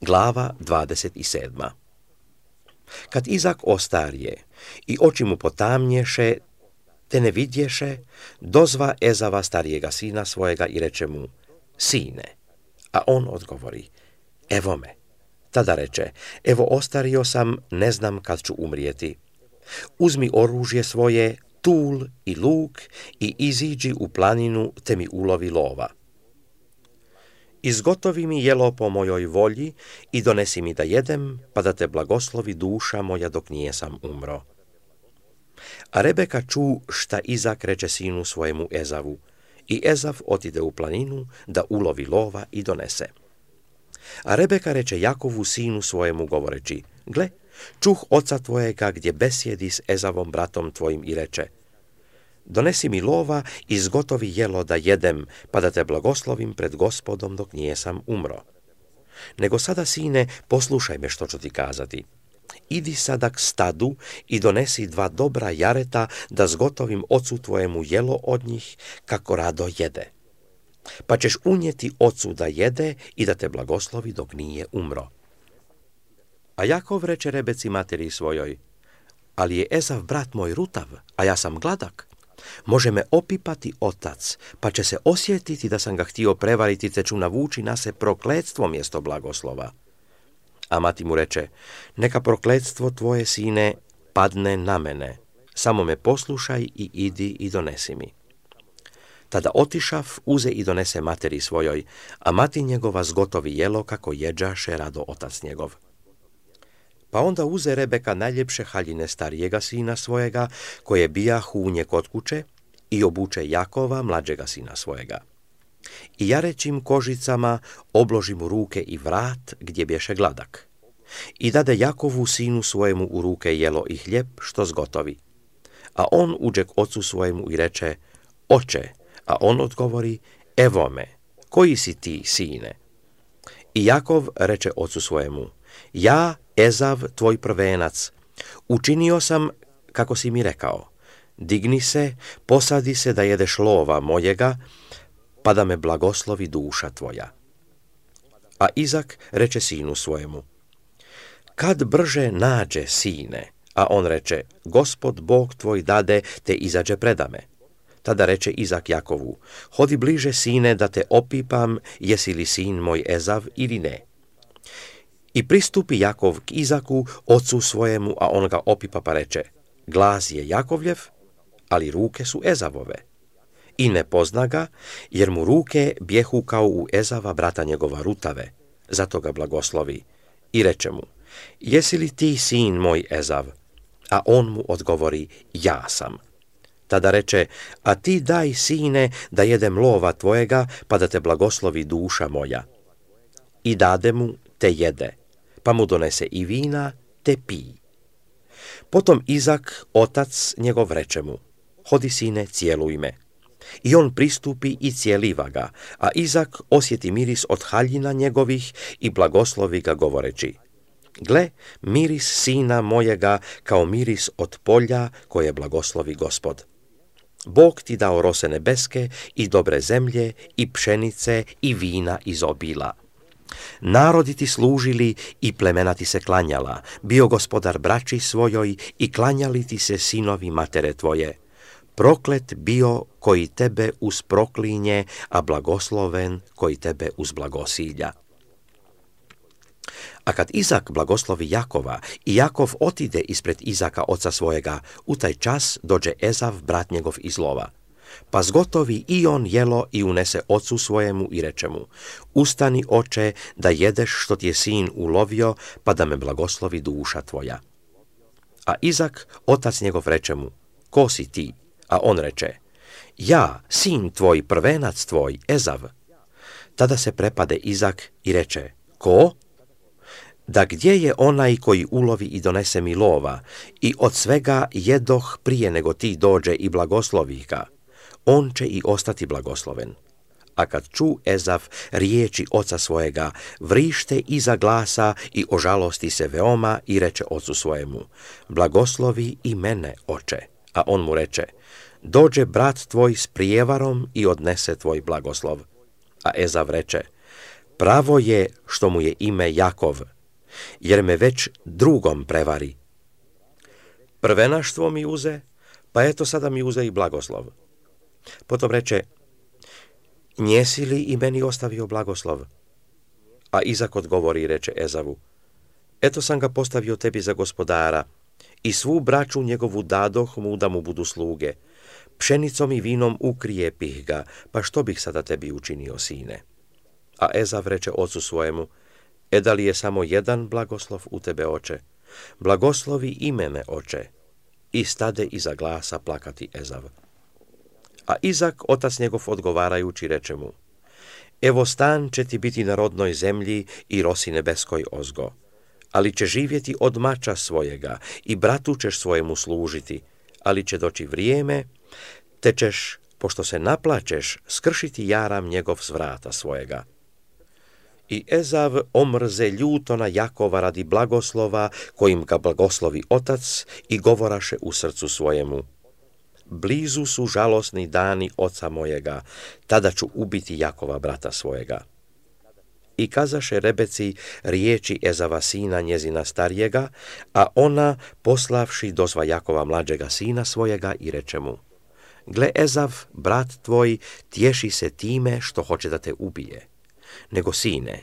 Glava 27. Kad Izak ostarije i oči mu potamnješe, te ne vidješe, dozva Ezava starijega sina svojega i reče mu, sine, a on odgovori, evo me. Tada reče, evo ostario sam, ne znam kad ću umrijeti. Uzmi oružje svoje, tul i luk i iziđi u planinu te mi ulovi lova. Izgotovi mi jelo po mojoj volji i donesi mi da jedem, pa da te blagoslovi duša moja dok nijesam umro. A Rebeka ču šta Izak reče sinu svojemu Ezavu, i Ezav otide u planinu da ulovi lova i donese. A Rebeka reče Jakovu sinu svojemu govoreći, gle, čuh oca tvojega gdje besjedi s Ezavom bratom tvojim i reče, donesi mi lova i zgotovi jelo da jedem, pa da te blagoslovim pred Gospodom dok nijesam umro. Nego sada, sine, poslušaj me što ću ti kazati. Idi sada k stadu i donesi 2 dobra jareta da zgotovim ocu tvojemu jelo od njih, kako rado jede. Pa ćeš unijeti ocu da jede i da te blagoslovi dok nije umro. A Jakov reče Rebeci materi svojoj, ali je Ezav brat moj rutav, a ja sam gladak. Može me opipati otac, pa će se osjetiti da sam ga htio prevariti, te ću navući na se prokletstvo mjesto blagoslova. A mati mu reče, neka prokletstvo tvoje, sine, padne na mene, samo me poslušaj i idi i donesi mi. Tada otišav, uze i donese materi svojoj, a mati njegova zgotovi jelo kako jeđaše rado otac njegov. Pa onda uze Rebeka najljepše haljine starijega sina svojega, koje bijahu u nje kod kuće, i obuče Jakova, mlađega sina svojega. I jarećim kožicama obloži mu ruke i vrat, gdje bješe gladak. I dade Jakovu sinu svojemu u ruke jelo i hljeb, što zgotovi. A on uđe k ocu svojemu i reče, oče, a on odgovori, evo me, koji si ti, sine? I Jakov reče ocu svojemu, ja, Ezav, tvoj prvenac, učinio sam kako si mi rekao, digni se, posadi se da jedeš lova mojega, pa da me blagoslovi duša tvoja. A Izak reče sinu svojemu, kad brže nađe, sine, a on reče, Gospod Bog tvoj dade te izađe predame. Tada reče Izak Jakovu, hodi bliže, sine, da te opipam, jesi li sin moj Ezav ili ne. I pristupi Jakov k Izaku, ocu svojemu, a on ga opipa pa reče, glas je Jakovljev, ali ruke su Ezavove. I ne pozna ga, jer mu ruke bjehu kao u Ezava brata njegova rutave, zato ga blagoslovi. I reče mu, jesi li ti sin moj Ezav? A on mu odgovori, ja sam. Tada reče, a ti daj, sine, da jedem lova tvojega, pa da te blagoslovi duša moja. I dade mu, te jede, pa mu donese i vina, te pij. Potom Izak, otac njegov, reče mu, hodi, sine, cijeluj me. I on pristupi i cijeliva ga, a Izak osjeti miris od haljina njegovih i blagoslovi ga govoreći, gle, miris sina mojega kao miris od polja koje blagoslovi Gospod. Bog ti dao rose nebeske i dobre zemlje i pšenice i vina iz obila. Narodi ti služili i plemena ti se klanjala, bio gospodar braći svojoj i klanjali ti se sinovi matere tvoje. Proklet bio koji tebe usproklinje, a blagosloven koji tebe uzblagosilja. A kad Izak blagoslovi Jakova i Jakov otide ispred Izaka oca svojega, u taj čas dođe Ezav brat njegov iz lova. Pa zgotovi i on jelo i unese ocu svojemu i reče mu, ustani, oče, da jedeš što ti je sin ulovio, pa da me blagoslovi duša tvoja. A Izak, otac njegov, reče mu, ko si ti? A on reče, ja, sin tvoj, prvenac tvoj, Ezav. Tada se prepade Izak i reče, ko? Da gdje je onaj koji ulovi i donese mi lova, i od svega jedoh prije nego ti dođe i blagoslovi ga, on će i ostati blagosloven. A kad ču Ezav riječi oca svojega, vrište iza glasa i ožalosti se veoma i reče ocu svojemu, blagoslovi i mene, oče. A on mu reče, dođe brat tvoj s prijevarom i odnese tvoj blagoslov. A Ezav reče, Pravo je što mu je ime Jakov, jer me već drugom prevari. Prvenaštvo mi uze, pa eto sada mi uze i blagoslov. Potom reče, njesi li i meni ostavio blagoslov? A Izak odgovori i reče Ezavu, eto sam ga postavio tebi za gospodara, i svu braću njegovu dadoh mu da mu budu sluge. Pšenicom i vinom ukrijepih ga, pa što bih sada tebi učinio, sine? A Ezav reče ocu svojemu, da li je samo jedan blagoslov u tebe, oče? Blagoslovi i mene, oče. I stade iza glasa plakati Ezav. A Izak, otac njegov, odgovarajući, reče mu, evo stan će ti biti na rodnoj zemlji i rosi nebeskoj ozgo, ali će živjeti od mača svojega i bratu ćeš svojemu služiti, ali će doći vrijeme, te ćeš, pošto se naplačeš, skršiti jaram njegov s vrata svojega. I Ezav omrze ljuto na Jakova radi blagoslova, kojim ga blagoslovi otac, i govoraše u srcu svojemu, blizu su žalosni dani oca mojega, tada ću ubiti Jakova brata svojega. I kazaše Rebeci riječi Ezava sina njezina starijega, a ona, poslavši, dozva Jakova mlađega sina svojega i reče mu, gle, Ezav, brat tvoj, tješi se time što hoće da te ubije. Nego, sine,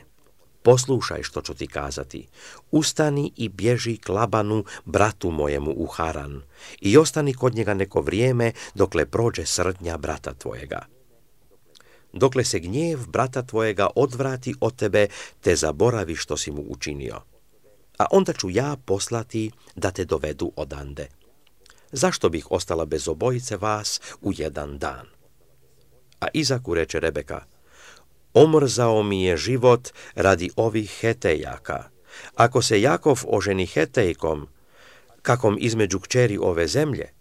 poslušaj što ću ti kazati, ustani i bježi k Labanu, bratu mojemu, u Haran, i ostani kod njega neko vrijeme, dokle prođe srdnja brata tvojega. Dokle se gnjev brata tvojega odvrati od tebe, te zaboravi što si mu učinio. A onda ću ja poslati da te dovedu odande. Zašto bih ostala bez obojice vas u jedan dan? A Izaku reče Rebeka, omrzao mi je život radi ovih Hetejaka. Ako se Jakov oženi Hetejkom, kakom između kćeri ove zemlje,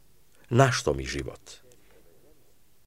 na što mi život?